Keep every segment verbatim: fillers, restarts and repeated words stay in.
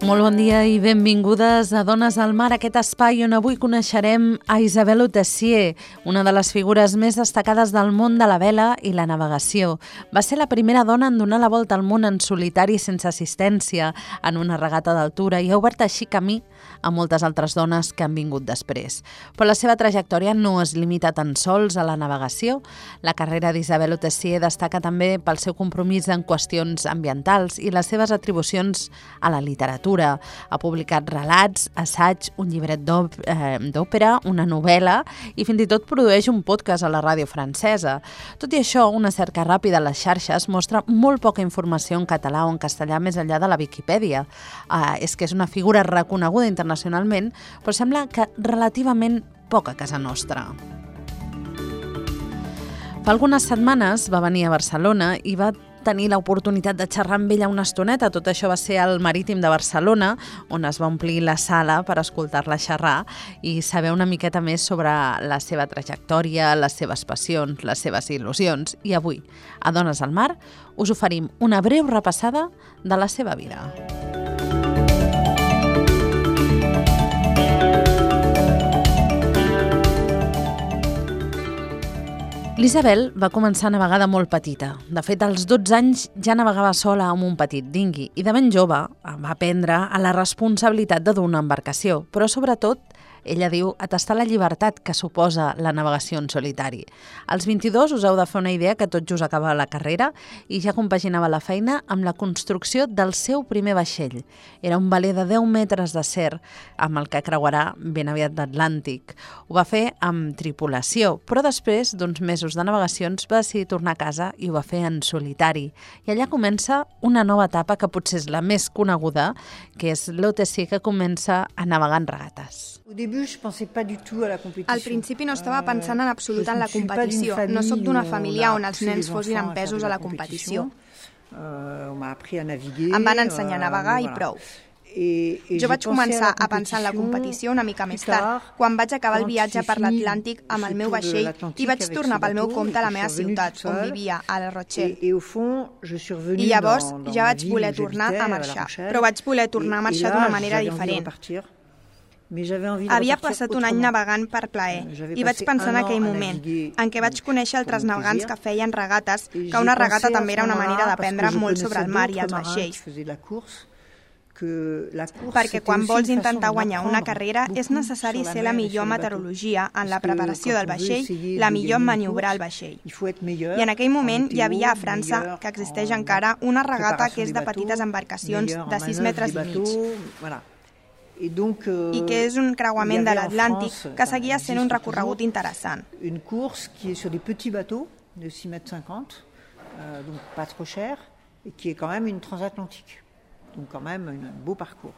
Molt bon dia i benvingudes a Dones al Mar, aquest espai on avui coneixerem a Isabel Autessier, una de les figures més destacades del món de la vela i la navegació. Va ser la primera dona en donar la volta al món en solitari sense assistència en una regata d'altura i ha obert així camí a moltes altres dones que han vingut després. Però la seva trajectòria no es limita tan sols a la navegació. La carrera d'Isabel Autessier destaca també pel seu compromís en qüestions ambientals i les seves atribucions a la literatura. Ha publicat relats, assaig, un llibret d'òpera, una novel·la i fins i tot produeix un podcast a la ràdio francesa. Tot i això, una cerca ràpida a les xarxes mostra molt poca informació en català o en castellà més enllà de la Viquipèdia. Uh, és que és una figura reconeguda internacionalment, però sembla que relativament poca a casa nostra. Fa algunes setmanes va venir a Barcelona i va tenir l'oportunitat de xerrar amb ella una estoneta. Tot això va ser al Marítim de Barcelona, on es va omplir la sala per escoltar-la xerrar i saber una miqueta més sobre la seva trajectòria, les seves passions, les seves il·lusions. I avui, a Dones al Mar, us oferim una breu repassada de la seva vida. L'Isabel va començar a navegar de molt petita. De fet, als dotze anys ja navegava sola amb un petit dinghy i de ben jove va aprendre a la responsabilitat de dur una embarcació, però sobretot, ella diu, a tastar la llibertat que suposa la navegació en solitari. Als vint-i-dos us heu de fer una idea que tot just acabava la carrera i ja compaginava la feina amb la construcció del seu primer vaixell. Era un veler de deu metres d'acer amb el que creuarà ben aviat l'Atlàntic. Ho va fer amb tripulació, però després d'uns mesos de navegacions va decidir tornar a casa i ho va fer en solitari. I allà comença una nova etapa que potser és la més coneguda, que és l'Autessier que comença a navegar en regates. Al principi no estava pensant en absolut en la competició. No sóc d'una família on els nens fossin empesos a la competició. Em van ensenyar a navegar i prou. Jo vaig començar a pensar en la competició una mica més tard, quan vaig acabar el viatge per l'Atlàntic amb el meu vaixell i vaig tornar pel meu compte a la meva ciutat, on vivia, a La Rochelle. I llavors ja vaig voler tornar a marxar, però vaig voler tornar a marxar d'una manera diferent. Havia passat un any navegant per plaer i vaig pensar en aquell moment en què vaig conèixer altres navegants que feien regates, que una regata també era una manera d'aprendre molt sobre el mar i els vaixells. Perquè quan vols intentar guanyar una carrera és necessari ser la millor meteorologia en la preparació del vaixell, la millor en maniobrar el vaixell. I en aquell moment hi havia a França, que existeix encara, una regata que és de petites embarcacions de sis metres i mig. I que és un creuament de l'Atlàntic que seguia sent un recorregut interessant. Une course qui est sur des petits bateaux de six mètres cinquante, euh, donc pas trop cher, et qui est quand même une transatlantique. Donc quand même un beau parcours.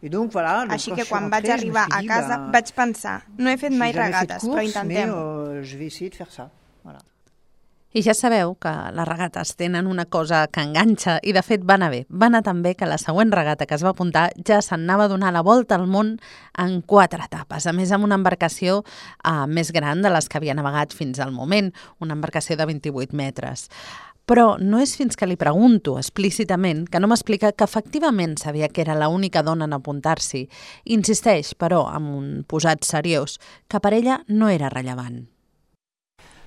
Et donc voilà, donc Així que quan vaig arribar a casa vaig pensar, no he fet mai regates, però intentem-ho. Je vais essayer de faire ça. Voilà. I ja sabeu que les regates tenen una cosa que enganxa i de fet va anar bé. Va anar tan bé que la següent regata que es va apuntar ja se'n anava a donar la volta al món en quatre etapes. A més, amb una embarcació uh, més gran de les que havia navegat fins al moment, una embarcació de vint-i-vuit metres. Però no és fins que li pregunto explícitament que no m'explica que efectivament sabia que era l'única dona en apuntar-s'hi. Insisteix, però, amb un posat seriós, que per ella no era rellevant.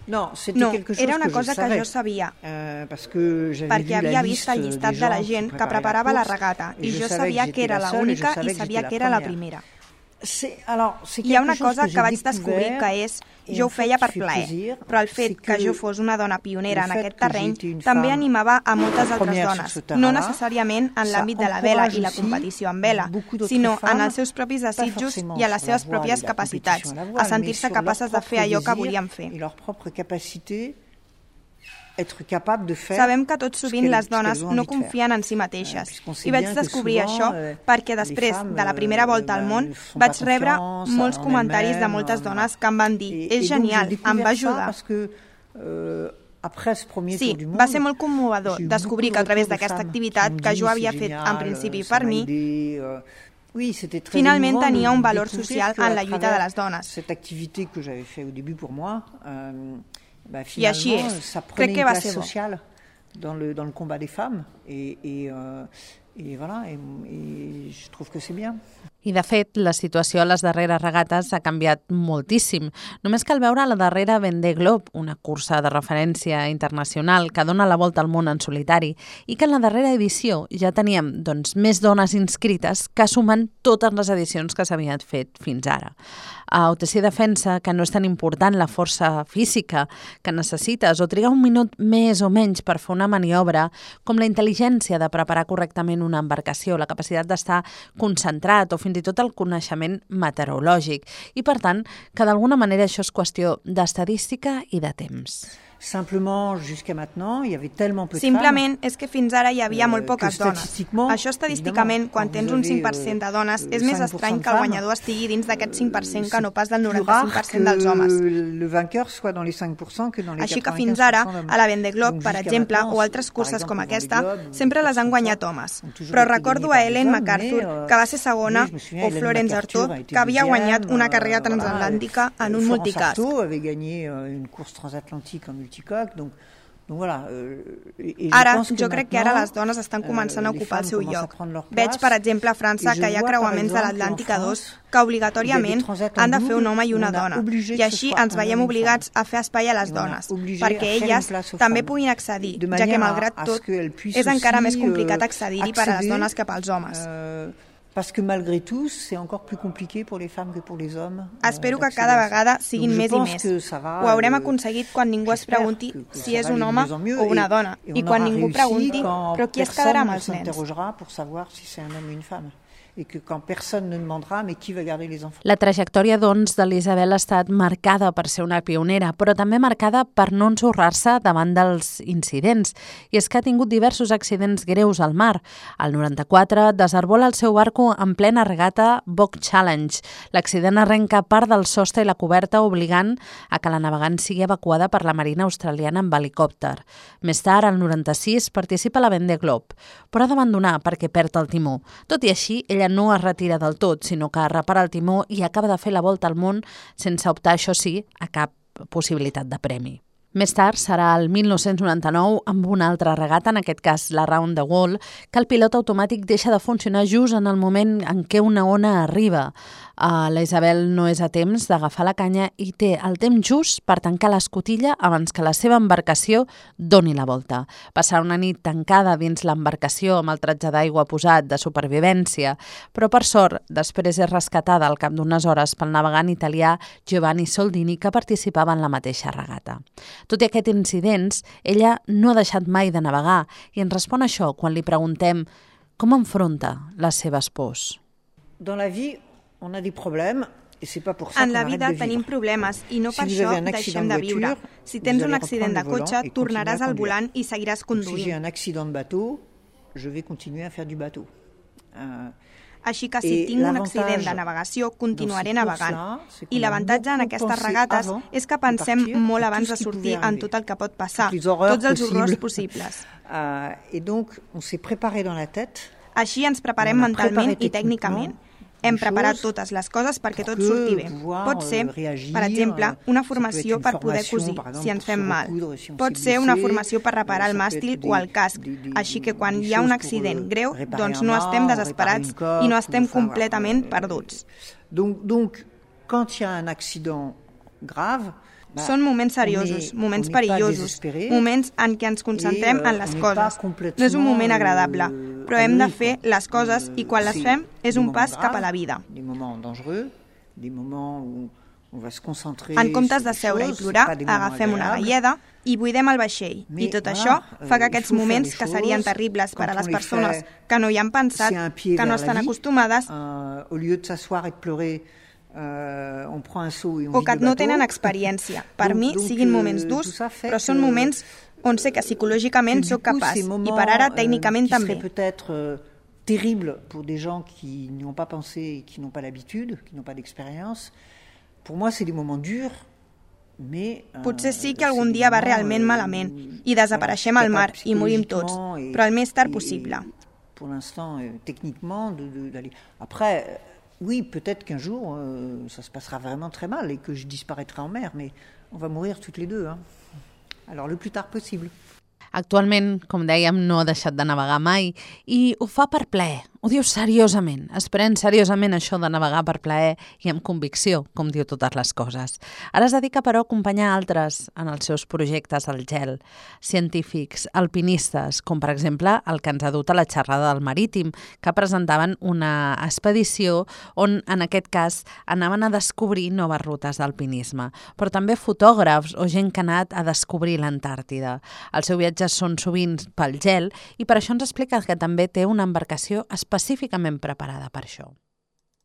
No, era una cosa que jo sabia, perquè havia vist el llistat de la gent que preparava la regata i jo sabia que era l'única i sabia que era la primera. Hi ha una cosa que vaig descobrir que és, jo ho feia per plaer, però el fet que jo fos una dona pionera en aquest terreny també animava a moltes altres dones, no necessàriament en l'àmbit de la vela i la competició en vela, sinó en els seus propis desitjos i a les seves pròpies capacitats, a sentir-se capaces de fer allò que volien fer. Sabem que tot sovint les dones no confien en si mateixes i vaig descobrir això perquè després de la primera volta al món vaig rebre molts comentaris de moltes dones que em van dir «És genial, em va ajudar». Euh, Après ce premier sí, tour du monde, va ser molt commovedor descobrir que a través d'aquesta activitat que jo havia fet en principi per mi, oui, c'était très finalment tenia un de valor social en la lluita de les dones. Cette activité que j'avais fait au début pour moi, euh, bah, I així finalement, és. ça prenait Crec que une va place ser bo. sociale dans le, dans le combat des femmes. Et, et, euh, et voilà, et, et je trouve que c'est bien. I, de fet, la situació a les darreres regates ha canviat moltíssim. Només cal veure la darrera Vendée Globe, una cursa de referència internacional que dona la volta al món en solitari, i que en la darrera edició ja teníem doncs, més dones inscrites que sumen totes les edicions que s'havien fet fins ara. A O T C defensa que no és tan important la força física que necessites o trigar un minut més o menys per fer una maniobra com la intel·ligència de preparar correctament una embarcació, la capacitat d'estar concentrat o fins i tot el coneixement meteorològic. I, per tant, que d'alguna manera això és qüestió d'estadística i de temps. Simplement, jusqu'à maintenant, il y avait tellement peu de Simplement és que fins ara hi havia molt poques dones. Això estadísticament, quan tens un cinc per cent de dones, és més estrany que el guanyador estigui dins d'aquest cinc per cent que no pas del noranta-cinc per cent dels homes. Així que fins ara, a la Vendée Globe, per exemple, o altres curses com aquesta, sempre les han guanyat homes. Però recordo a Ellen MacArthur, que va ser segona, o Florence Artaud, que havia guanyat una carrera transatlàntica en un multicast. multicoque, donc, donc voilà. Euh, et ara, jo crec que ara les dones estan començant a ocupar el seu lloc. Veig, per exemple, a França que hi ha creuaments de l'Atlàntica dos que obligatòriament han de fer un home i una dona. I així ens veiem obligats a fer espai a les dones, perquè elles també puguin accedir, ja que, malgrat tot, és encara més complicat accedir-hi per a les dones que pels homes. Parce que malgré tout, c'est encore plus compliqué pour les femmes que pour les hommes. Espero que cada vegada siguin més i més. Ho haurem aconseguit quan ningú es pregunti si és un home o una dona, i quan ningú pregunti però qui es quedarà amb els nens. S'interrogera pour savoir si c'est un homme ou une femme. Et que quand personne ne demandera mais qui va garder les enfants. La trajectòria, doncs, de l'Isabel ha estat marcada per ser una pionera, però també marcada per no ensorrar-se davant dels incidents. I és que ha tingut diversos accidents greus al mar. Al noranta-quatre desarbola el seu barco en plena regata Bock Challenge. L'accident arrenca part del sostre i la coberta, obligant a que la navegant sigui evacuada per la Marina australiana amb helicòpter. Més tard, al noranta-sis, participa a la Vendée Globe, però ha d'abandonar perquè perd el timó. Tot i així, ella no es retira del tot, sinó que repara el timó i acaba de fer la volta al món sense optar, això sí, a cap possibilitat de premi. Més tard serà el mil nou-cents noranta-nou amb una altra regata, en aquest cas la Round the World, que el pilot automàtic deixa de funcionar just en el moment en què una ona arriba. Uh, la Isabel no és a temps d'agafar la canya i té el temps just per tancar l'escotilla abans que la seva embarcació doni la volta. Passarà una nit tancada dins l'embarcació amb el tratge d'aigua posat de supervivència, però per sort després és rescatada al cap d'unes hores pel navegant italià Giovanni Soldini, que participava en la mateixa regata. Tot i aquests incidents, ella no ha deixat mai de navegar i ens respon això quan li preguntem com enfronta les seves pors. Dans la vie, on a des problèmes. En la vida tenim problemes i no per això deixem de viure. Si tens un accident de cotxe, tornaràs al volant i seguiràs conduint. Si j'ai un accident de bateau, je vais continuer à faire du bateau. Així que si tinc un accident de navegació, continuaré navegant. I l'avantatge en aquestes regates és que pensem molt abans de sortir en tot el que pot passar, tots els horrors possibles. Et donc, on s'est préparé dans la tête. Així ens preparem mentalment i tècnicament. Hem preparat totes les coses perquè tot surti bé. Pot ser, per exemple, una formació per poder cosir, si ens fem mal. Pot ser una formació per reparar el màstil o el casc. Així que quan hi ha un accident greu, doncs no estem desesperats i no estem completament perduts. Donc, quand il y a un accident grave, són moments seriosos, moments perillosos, moments en què ens concentrem en les coses. No és un moment agradable, però hem de fer les coses i quan les fem és un pas cap a la vida. En comptes de seure i plorar, agafem una galleda i buidem el vaixell. I tot això fa que aquests moments que serien terribles per a les persones que no hi han pensat, que no estan acostumades, Uh, on prend un saut et on o que no tenen experiència. Per donc, mi siguin moments durs, però són moments on sé que psicològicament soc capaç i per ara tècnicament també. Qui serait peut-être euh, terrible pour des gens qui n'y ont pas pensé et qui n'ont pas l'habitude, qui n'ont pas d'expérience. Pour moi, c'est des moments durs Potser sí que algun dia va realment malament i desapareixem al mar i morim tots, però el més tard possible. Pour l'instant, techniquement, d'aller... Après, oui, peut-être qu'un jour, euh, ça se passera vraiment très mal et que je disparaîtrai en mer, mais on va mourir toutes les deux, hein. Alors, le plus tard possible. Actualment, com dèiem, no ha deixat de navegar mai i ho fa per plaer. Ho diu seriosament, es pren seriosament això de navegar per plaer i amb convicció, com diu totes les coses. Ara es dedica, però, a acompanyar altres en els seus projectes al gel, científics, alpinistes, com per exemple el que ens ha dut a la xerrada del Marítim, que presentaven una expedició on, en aquest cas, anaven a descobrir noves rutes d'alpinisme, però també fotògrafs o gent que ha anat a descobrir l'Antàrtida. Els seus viatges són sovint pel gel i per això ens explica que també té una embarcació específicament preparada per això.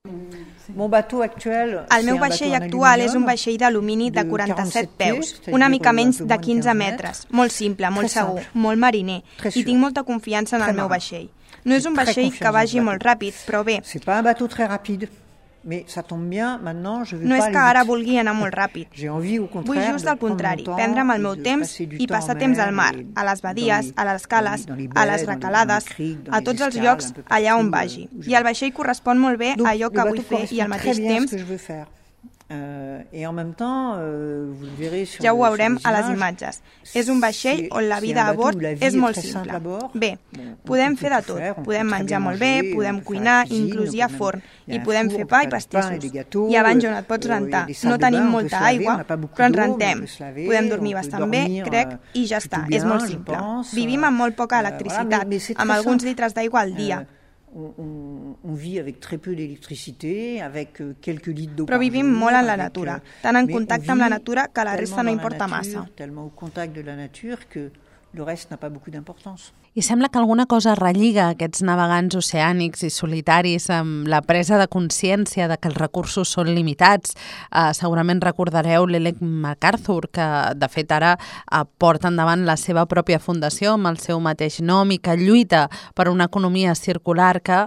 El meu vaixell actual és un vaixell d'alumini de quaranta-set peus, una mica menys de quinze metres, molt simple, molt segur, molt mariner, i tinc molta confiança en el meu vaixell. No és un vaixell que vagi molt ràpid, però bé. Mais ça tombe bien, maintenant je vais no pas és que ara vulgui anar molt ràpid. Vull just al contrari, prendre'm el meu temps i passar temps al mar, a les badies, a les cales, a les recalades, a tots els llocs allà on vagi. I el vaixell correspon molt bé a allò que vull fer i al mateix temps ja ho veurem a les imatges. És un vaixell on la vida a bord és molt simple. Bé, podem fer de tot. Podem menjar molt bé, podem cuinar, inclús hi ha forn, i podem fer pa i pastissos. Hi ha banys on et pots rentar. No tenim molta aigua, però ens rentem. Podem dormir bastant bé, crec, i ja està. És molt simple. Vivim amb molt poca electricitat, amb alguns litres d'aigua al dia. On, on vit avec très peu d'électricité, avec quelques litres d'eau. Però vivim molt en la natura, tan en contacte amb la natura que la resta no importa massa. Tellement au contact de la nature que le reste n'a pas beaucoup d'importance. I sembla que alguna cosa relliga aquests navegants oceànics i solitaris amb la presa de consciència de que els recursos són limitats. Uh, segurament recordareu l'Ellen MacArthur, que de fet ara uh, porta endavant la seva pròpia fundació amb el seu mateix nom i que lluita per una economia circular que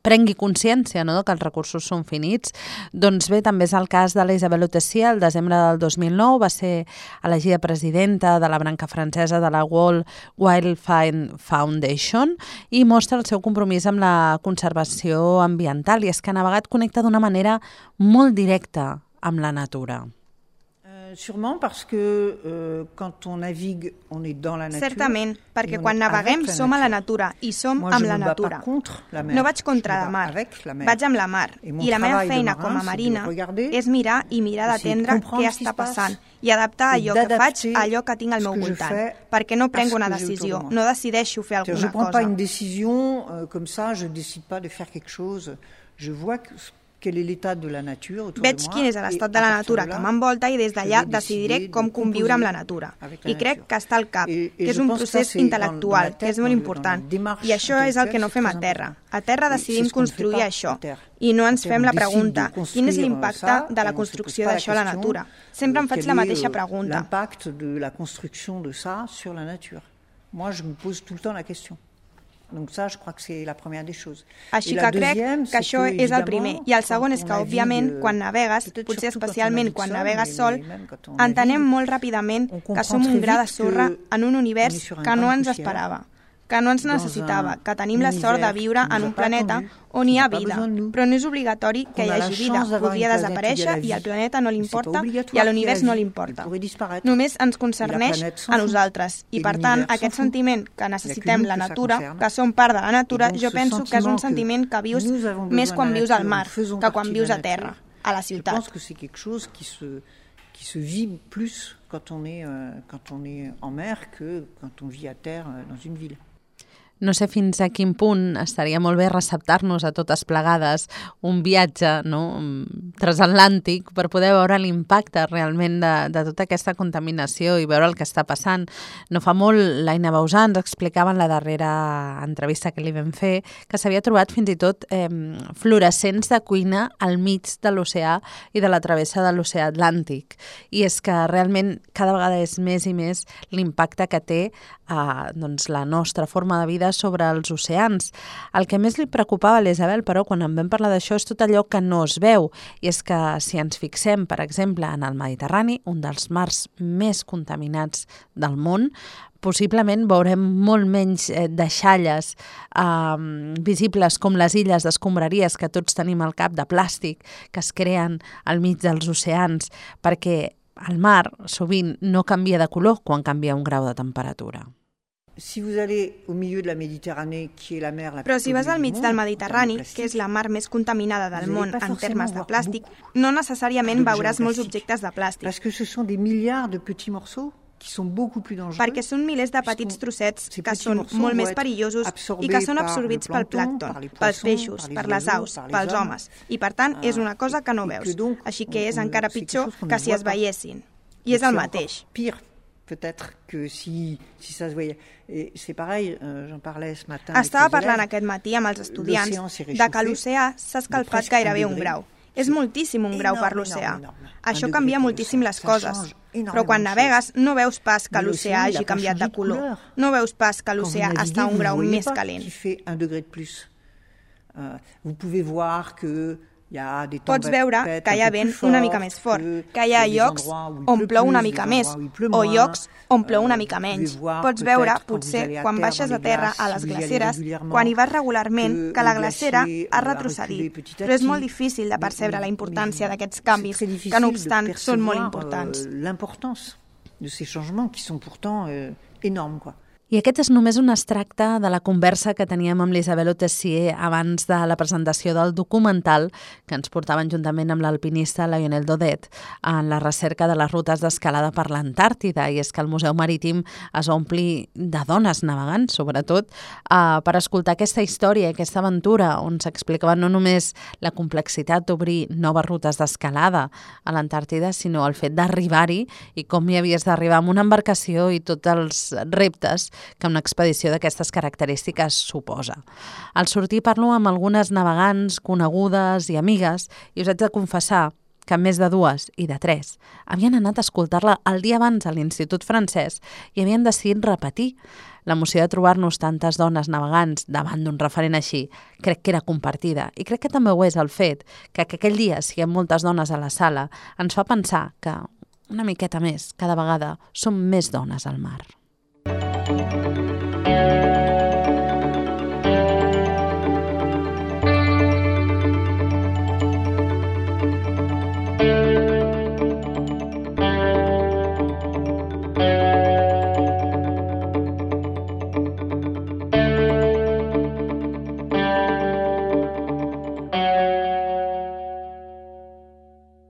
prengui consciència, no?, que els recursos són finits. Doncs bé, també és el cas de la Isabelle Autessier. El desembre del dos mil nou va ser elegida presidenta de la branca francesa de la World Wildlife Foundation i mostra el seu compromís amb la conservació ambiental. I és que ha navegat connecta d'una manera molt directa amb la natura. Sûrement parce que euh, quand on navigue, on est dans la nature. Certament, perquè quan naveguem som a la natura i som amb la natura. No vaig contra la mar, vaig amb la mar. I la meva feina com a marina és mirar i mirar d'atendre què està passant i adaptar allò que faig a allò que tinc al meu voltant, perquè no prenc una decisió, no decideixo fer alguna cosa. Je prends pas une décision comme ça, je décide pas de faire quelque chose. Je vois que Veig quin és l'estat de la natura que m'envolta i des d'allà decidiré com conviure amb la natura. I crec que està al cap, que és un procés intel·lectual, que és molt important. I això és el que no fem a terra. A terra decidim construir això. I no ens fem la pregunta, quin és l'impacte de la construcció d'això a la natura? Sempre em faig la mateixa pregunta. L'impacte de la construction de ça sur la nature. Moi, je me pose tout le temps la question. Donc ça, je crois que c'est la première des choses. Així que crec que això és el primer. I el segon és que, òbviament, quan navegues, potser especialment quan navegues sol, entenem molt ràpidament que som un gra de sorra en un univers que no ens esperava, que no ens necessitava, que tenim la sort de viure en un planeta on hi ha vida, però no és obligatori que hi hagi vida. Podria desaparèixer i al planeta no li importa i a l'univers no li importa. Només ens concerneix a nosaltres i, per tant, aquest sentiment que necessitem la natura, que som part de la natura, jo penso que és un sentiment que vius més quan vius al mar que quan vius a terra, a la ciutat. Je pense que c'est quelque chose qui se, qui se vit plus quand on est, euh, quand on est en mer que quand on vit à terre euh, dans une ville. No sé fins a quin punt estaria molt bé receptar-nos a totes plegades un viatge, no?, transatlàntic per poder veure l'impacte realment de, de tota aquesta contaminació i veure el que està passant. No fa molt, l'Aina Bausà ens explicava en la darrera entrevista que li vam fer que s'havia trobat fins i tot eh, fluorescents de cuina al mig de l'oceà i de la travessa de l'oceà Atlàntic. I és que realment cada vegada és més i més l'impacte que té eh, doncs, la nostra forma de vida dubtes sobre els oceans. El que més li preocupava a l'Isabel, però, quan en vam parlar d'això, és tot allò que no es veu. I és que si ens fixem, per exemple, en el Mediterrani, un dels mars més contaminats del món, possiblement veurem molt menys eh, deixalles eh, visibles com les illes d'escombraries que tots tenim al cap de plàstic que es creen al mig dels oceans, perquè el mar sovint no canvia de color quan canvia un grau de temperatura. Si vous allez au milieu de la Méditerranée, qui est la mer la plus Però si vas al mig del Mediterrani, que és la mar més contaminada del món en termes de plàstic, no necessàriament veuràs molts objectes de plàstic. Parce que ce sont des milliards de petits morceaux qui sont beaucoup plus dangereux. Perquè són milers de petits trossets que són molt més perillosos i que són absorbits pel plàncton, pels peixos, per les aus, pels homes. I per tant és una cosa que no veus. Així que és encara pitjor que si es veiessin. I és el mateix. Pire, peut-être que si, si ça se voyait. Et c'est pareil, euh, j'en parlais ce matin. Estava parlant aquest matí amb els estudiants de que l'oceà s'ha escalfat gairebé un grau. És moltíssim un grau per l'oceà. Això canvia moltíssim les coses. Però quan navegues no veus pas que l'oceà hagi canviat de color. No veus pas que l'oceà està a un grau més calent. Vous pouvez voir que Pots veure que hi ha vent una mica més fort, que hi ha llocs on plou una mica més o llocs on plou una mica menys. Pots veure, potser, quan baixes a terra a les glaceres, quan hi vas regularment, que la glacera ha retrocedit. Però és molt difícil de percebre la importància d'aquests canvis, que no obstant són molt importants. L'importància de ces changements qui sont pourtant énormes, quoi. I aquest és només un extracte de la conversa que teníem amb l'Isabel Tessier abans de la presentació del documental que ens portaven juntament amb l'alpinista Lionel Daudet en la recerca de les rutes d'escalada per l'Antàrtida. I és que el Museu Marítim es va omplir de dones navegant, sobretot, eh, per escoltar aquesta història, aquesta aventura, on s'explicava no només la complexitat d'obrir noves rutes d'escalada a l'Antàrtida, sinó el fet d'arribar-hi i com hi havies d'arribar amb una embarcació i tots els reptes que una expedició d'aquestes característiques suposa. Al sortir parlo amb algunes navegants conegudes i amigues i us haig de confessar que més de dues i de tres havien anat a escoltar-la el dia abans a l'Institut Francès i havien decidit repetir. L'emoció de trobar-nos tantes dones navegants davant d'un referent així crec que era compartida i crec que també ho és el fet que, que aquell dia siguem moltes dones a la sala ens fa pensar que una miqueta més cada vegada som més dones al mar. Thank you.